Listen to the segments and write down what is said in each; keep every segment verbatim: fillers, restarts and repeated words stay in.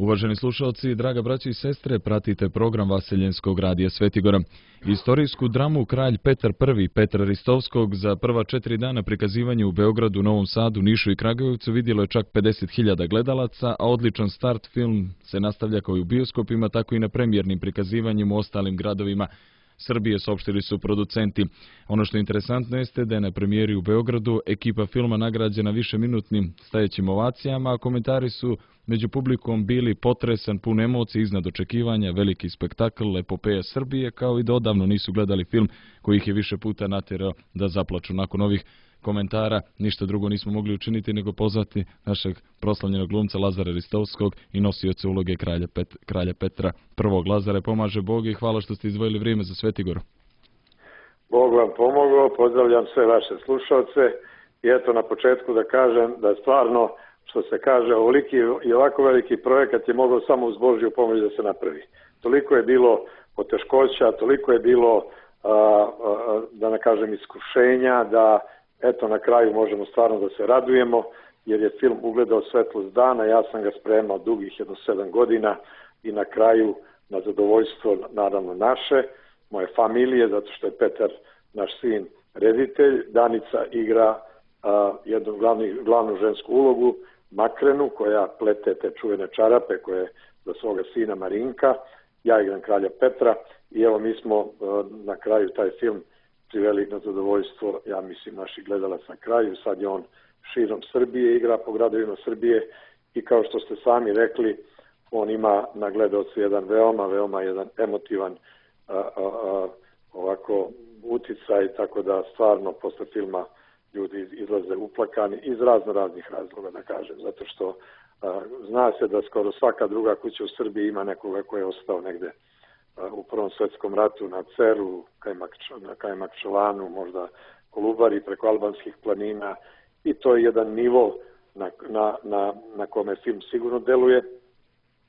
Uvaženi slušalci, draga braći i sestre, pratite program Vaseljenskog radija Svetigora. Istorijsku dramu Kralj Petar I Petra Ristovskog za prva četiri dana prikazivanja u Beogradu, Novom Sadu, Nišu i Kragujevcu vidjelo je čak pedeset hiljada gledalaca, a odličan start film se nastavlja kao i u bioskopima, tako i na premijernim prikazivanjima u ostalim gradovima Srbije, saopštili su producenti. Ono što je interesantno jeste da je na premijeri u Beogradu ekipa filma nagrađena višeminutnim stajećim ovacijama, a komentari su među publikom bili potresan, pun emocija, iznad očekivanja, veliki spektakl, epopeja Srbije, kao i da odavno nisu gledali film koji ih je više puta natjerao da zaplaču. Nakon ovih komentara ništa drugo nismo mogli učiniti nego pozvati našeg proslavljenog glumca Lazara Ristovskog i nosioca uloge kralja, Pet, kralja Petra I. Lazare, pomaže Bog i hvala što ste izdvojili vrijeme za Svetigor. Bog vam pomogao, pozdravljam sve vaše slušalce i eto na početku da kažem da stvarno, što se kaže, ovoliki i ovako veliki projekat je mogao samo uz Božju pomoć da se napravi. Toliko je bilo poteškoća, toliko je bilo, a, a, da ne kažem, iskušenja, da eto na kraju možemo stvarno da se radujemo, jer je film ugledao svetlost dana. Ja sam ga spremao dugih jedno sedam godina i na kraju, na zadovoljstvo naravno naše, moje familije, zato što je Petar, naš sin, reditelj. Danica igra a, jednu glavni, glavnu žensku ulogu, Makrenu, koja plete te čuvene čarape koje za svoga sina Marinka. Ja igram kralja Petra i evo mi smo a, na kraju taj film priveli na zadovoljstvo, ja mislim, naših gledalaca na kraju. Sad je on širom Srbije, igra po gradovima Srbije i kao što ste sami rekli, on ima na gledalce jedan veoma, veoma jedan emotivan a, a, a, ovako uticaj, tako da stvarno posle filma ljudi izlaze uplakani iz razno raznih razloga, da kažem, zato što a, zna se da skoro svaka druga kuća u Srbiji ima nekoga ko je ostao negde u Prvom svetskom ratu na Ceru, na Kajmakčalanu, možda Kolubari, preko albanskih planina, i to je jedan nivo na, na, na, na kome film sigurno deluje,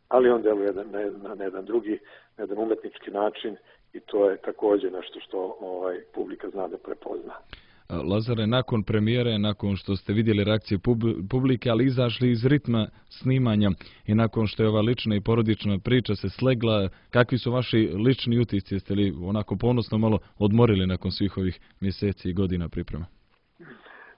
ali on deluje na, na, na jedan drugi, na jedan umetnički način i to je također nešto što ovaj, publika zna da prepozna. Lazare, nakon premijere, nakon što ste vidjeli reakcije publike, ali izašli iz ritma snimanja i nakon što je ova lična i porodična priča se slegla, kakvi su vaši lični utisci? Jeste li onako ponosno malo odmorili nakon svih ovih mjeseci i godina priprema?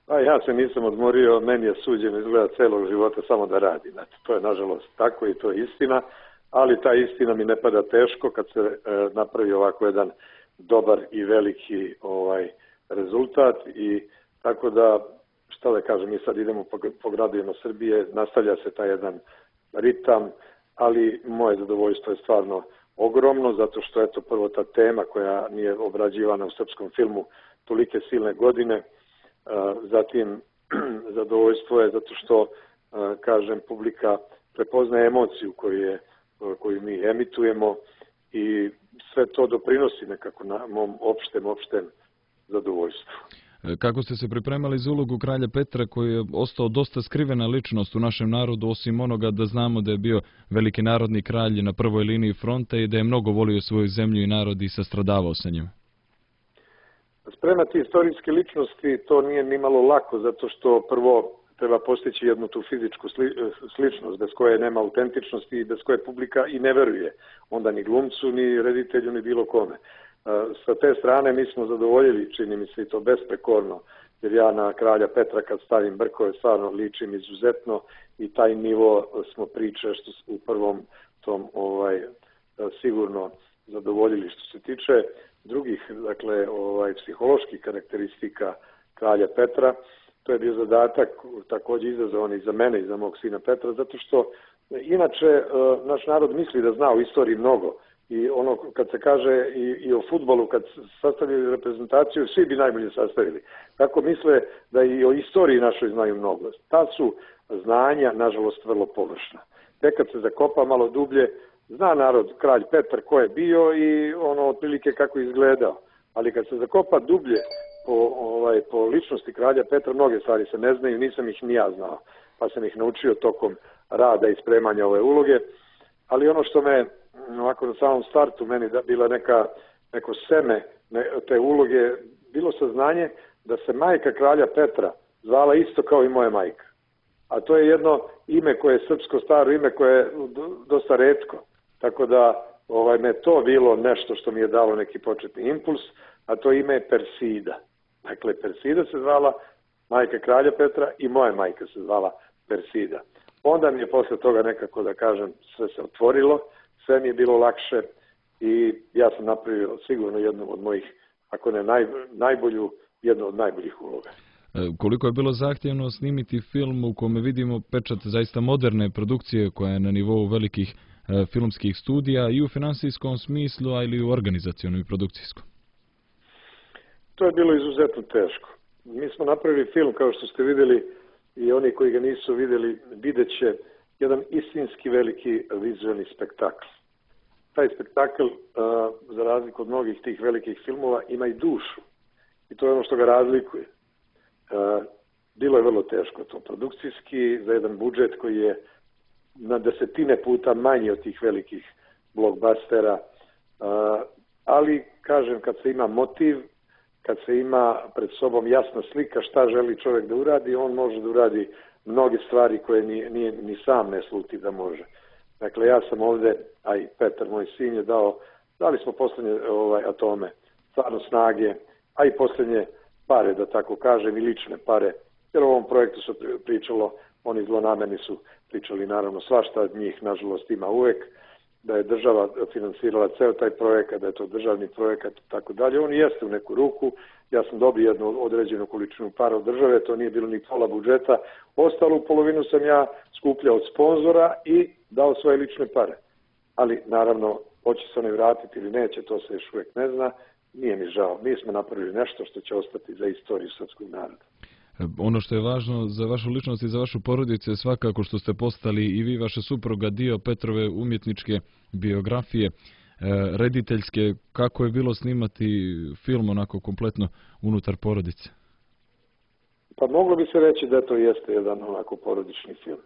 A ja se nisam odmorio, meni je suđeno izgleda celog života samo da radim. Znači, to je nažalost tako i to je istina, ali ta istina mi ne pada teško kad se e, napravi ovako jedan dobar i veliki ovaj rezultat i tako da, šta da kažem, mi sad idemo po, po gradovima Srbije, nastavlja se taj jedan ritam, ali moje zadovoljstvo je stvarno ogromno, zato što eto prvo ta tema koja nije obrađivana u srpskom filmu tolike silne godine, zatim zadovoljstvo je zato što, kažem, publika prepoznaje emociju koju, je, koju mi emitujemo i sve to doprinosi nekako na mom opštem, opštem zadovoljstvo. Kako ste se pripremali za ulogu kralja Petra, koji je ostao dosta skrivena ličnost u našem narodu, osim onoga da znamo da je bio veliki narodni kralj na prvoj liniji fronta i da je mnogo volio svoju zemlju i narod i sastradavao sa njim? Spremati istorijske ličnosti to nije ni malo lako, zato što prvo treba postići jednu tu fizičku sli, sličnost, bez koje nema autentičnosti i bez koje publika i ne veruje. Onda ni glumcu, ni reditelju, ni bilo kome. Sa te strane mi smo zadovoljili, čini mi se i to besprekorno, jer ja na kralja Petra kad stavim brkove stvarno ličim izuzetno i taj nivo smo priče što u prvom tom ovaj sigurno zadovoljili. Što se tiče drugih, dakle, ovaj psiholoških karakteristika kralja Petra, to je bio zadatak također izazovan i za mene i za mog sina Petra, zato što inače naš narod misli da zna o istoriji mnogo. I ono kad se kaže i, i o fudbalu, kad sastavili reprezentaciju, svi bi najbolje sastavili. Tako misle da i o istoriji našoj znaju mnogo. Ta su znanja, nažalost, vrlo površna. Tek kad se zakopa malo dublje, zna narod kralj Petar ko je bio i ono otprilike kako je izgledao. Ali kad se zakopa dublje po, ovaj, po ličnosti kralja Petra, mnoge stvari se ne znaju, nisam ih ni ja znao. Pa sam ih naučio tokom rada i spremanja ove uloge. Ali ono što me ovako na samom startu meni da bila neka, neko seme ne, te uloge, bilo saznanje da se majka kralja Petra zvala isto kao i moja majka. a to je jedno ime koje je srpsko staro ime koje je dosta retko. Tako da ovaj, me to bilo nešto što mi je dalo neki početni impuls, a to ime je Persida. Dakle, Persida se zvala majka kralja Petra i moja majka se zvala Persida. Onda mi je posle toga nekako, da kažem, sve se otvorilo, sve mi je bilo lakše i ja sam napravio sigurno jednu od mojih, ako ne naj, najbolju, jednu od najboljih uloga. Koliko je bilo zahtjevno snimiti film u kome vidimo pečat zaista moderne produkcije koja je na nivou velikih e, filmskih studija i u finansijskom smislu, ali i u organizacionom i produkcijskom? To je bilo izuzetno teško. Mi smo napravili film, kao što ste vidjeli, i oni koji ga nisu vidjeli, vidjet će jedan istinski veliki vizualni spektakl. Taj spektakl, uh, za razliku od mnogih tih velikih filmova, ima i dušu. I to je ono što ga razlikuje. Uh, bilo je vrlo teško to produkcijski, za jedan budžet koji je na desetine puta manji od tih velikih blockbustera. Uh, ali, kažem, kad se ima motiv, kad se ima pred sobom jasna slika šta želi čovjek da uradi, on može da uradi mnoge stvari koje ni, ni, ni sam ne sluti da može. Dakle, ja sam ovde, a i Petar, moj sin, je dao, dali smo poslednje ovaj, atome, stvarno snage, a i poslednje pare, da tako kažem, i lične pare. Jer u ovom projektu su pričalo, oni zlonamerni su pričali naravno svašta od njih, nažalost ima uvek, da je država finansirala ceo taj projekat, da je to državni projekat i tako dalje. On jeste u neku ruku, ja sam dobio jednu određenu količinu para od države, to nije bilo ni pola budžeta, ostalu polovinu sam ja skupljao od sponzora i dao svoje lične pare. Ali naravno, hoće se one vratiti ili neće, to se još uvijek ne zna, nije mi žao. Mi smo napravili nešto što će ostati za istoriju srpskog naroda. Ono što je važno za vašu ličnost i za vašu porodicu je svakako što ste postali i vi, vaša supruga, dio Petrove umjetničke biografije, rediteljske. Kako je bilo snimati film onako kompletno unutar porodice? Pa moglo bi se reći da to jeste jedan onako porodični film.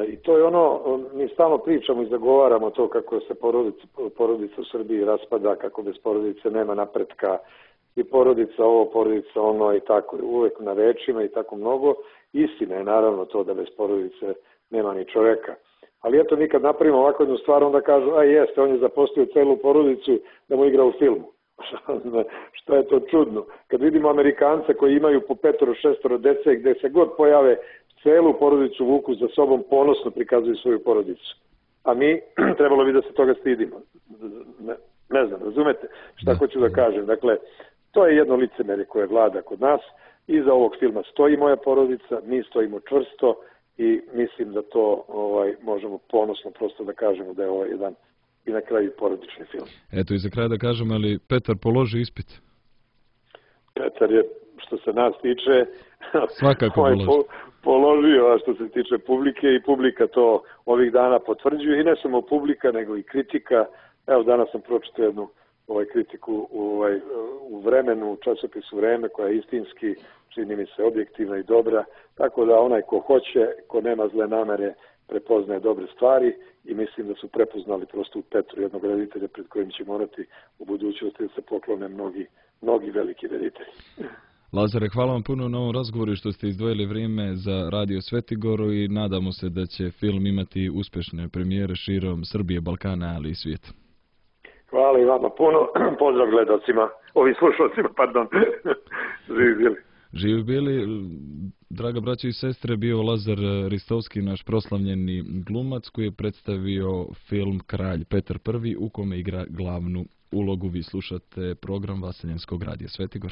I to je ono, mi stalno pričamo i zagovaramo to kako se porodica, porodica u Srbiji raspada, kako bez porodice nema napretka, i porodica ovo, porodica ono i tako, uvek na rečima i tako mnogo. Istina je naravno to da bez porodice nema ni čoveka. Ali eto, mi kad napravimo ovako jednu stvar, onda kažu, a jeste, on je zaposlio celu porodicu da mu igra u filmu. Što je to čudno. Kad vidimo Amerikance koji imaju po petoro, šestoro dece, gde se god pojave, celu porodicu vuku za sobom, ponosno prikazuju svoju porodicu. A mi, trebalo bi da se toga stidimo. Ne, ne znam, razumete šta hoću da kažem. Dakle, to je jedno licemerje koje vlada kod nas. Iza ovog filma stoji moja porodica, mi stojimo čvrsto i mislim da to ovaj, možemo ponosno prosto da kažemo da je ovo jedan i na kraju porodični film. Eto i za kraj da kažem, ali Petar položi ispit? Petar je, što se nas tiče, svakako položi. Po, položio, a što se tiče publike, i publika to ovih dana potvrđuje, i ne samo publika, nego i kritika. Evo, danas sam pročitao jednu ovaj, kritiku ovaj, u Vremenu, u časopisu Vreme, koja je istinski, čini mi se, objektivna i dobra, tako da onaj ko hoće, ko nema zle namere, prepoznaje dobre stvari, i mislim da su prepoznali prosto u Petru jednog reditelja pred kojim će morati u budućnosti da se poklone mnogi, mnogi veliki reditelji. Lazare, hvala vam puno na ovom razgovoru što ste izdvojili vrijeme za Radio Svetigoru i nadamo se da će film imati uspješne premijere širom Srbije, Balkana, ali i svijeta. Hvala i vama puno. Pozdrav gledalcima, ovim slušalcima, pardon. Živi bili. Živi bili. Draga braća i sestre, bio Lazar Ristovski, naš proslavljeni glumac koji je predstavio film Kralj Petar Prvi u kome igra glavnu ulogu. Vi slušate program Vaseljenskog radija Svetigor.